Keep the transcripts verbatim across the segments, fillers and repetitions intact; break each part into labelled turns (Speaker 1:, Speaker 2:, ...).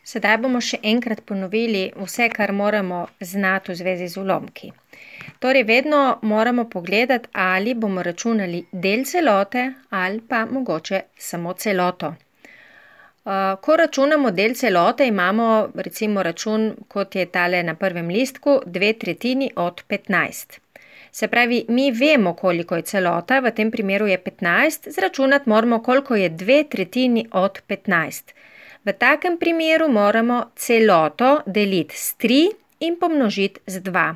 Speaker 1: Sedaj bomo še enkrat ponovili vse, kar moramo znati v zvezi z ulomki. Torej, vedno moramo pogledati, ali bomo računali del celote ali pa mogoče samo celoto. Ko računamo del celote, imamo recimo račun, kot je tale na prvem listku, dve tretjini od petnajst. Se pravi, mi vemo, koliko je celota, v tem primeru je petnajst, zračunati moramo, koliko je dve tretjini od petnajst. V takem primeru moramo celoto deliti s tri in pomnožiti z dva.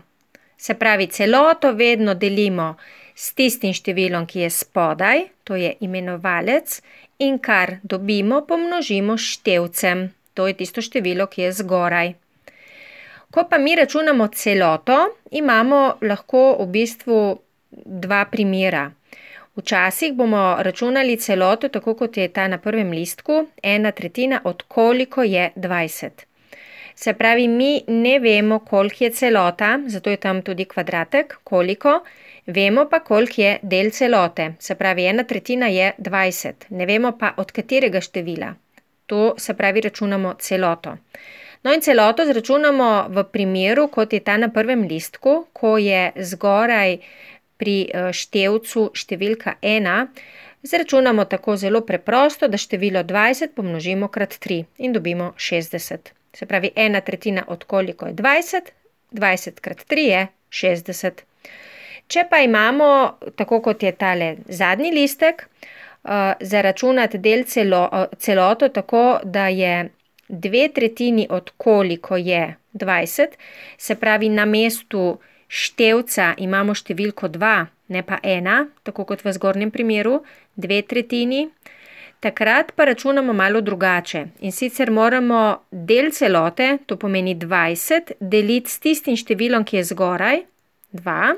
Speaker 1: Se pravi, celoto vedno delimo s tistim številom, ki je spodaj, to je imenovalec, in kar dobimo, pomnožimo s števcem, to je tisto število, ki je zgoraj. Ko pa mi računamo celoto, imamo lahko v bistvu dva primera. Včasih bomo računali celoto, tako kot je ta na prvem listku, ena tretjina od koliko je dvajset. Se pravi, mi ne vemo, koliko je celota, zato je tam tudi kvadratek, koliko, vemo pa, koliko je del celote. Se pravi, ena tretjina je dvajset, ne vemo pa, od katerega števila. To se pravi, računamo celoto. No in celoto zračunamo v primeru, kot je ta na prvem listku, ko je zgoraj pri števcu številka ena, zračunamo tako zelo preprosto, da število dvajset pomnožimo krat tri in dobimo šestdeset. Se pravi, ena tretjina od koliko je dvajset, dvajset krat tri je šestdeset. Če pa imamo, tako kot je tale zadnji listek, zaračunati del celo, celoto tako, da je dve tretjini od koliko je dvajset, se pravi, na mestu števca imamo številko dva, ne pa ena, tako kot v zgornjem primeru, dve tretjini. Takrat pa računamo malo drugače in sicer moramo del celote, to pomeni dvajset, deliti s tistim številom, ki je zgoraj, dva,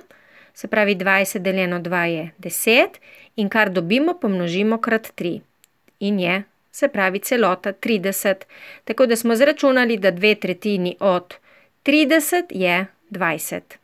Speaker 1: se pravi dvajset deljeno dva je deset in kar dobimo, pomnožimo krat tri in je, se pravi, celota trideset. Tako da smo zračunali, da dve tretjini od trideset je dvajset.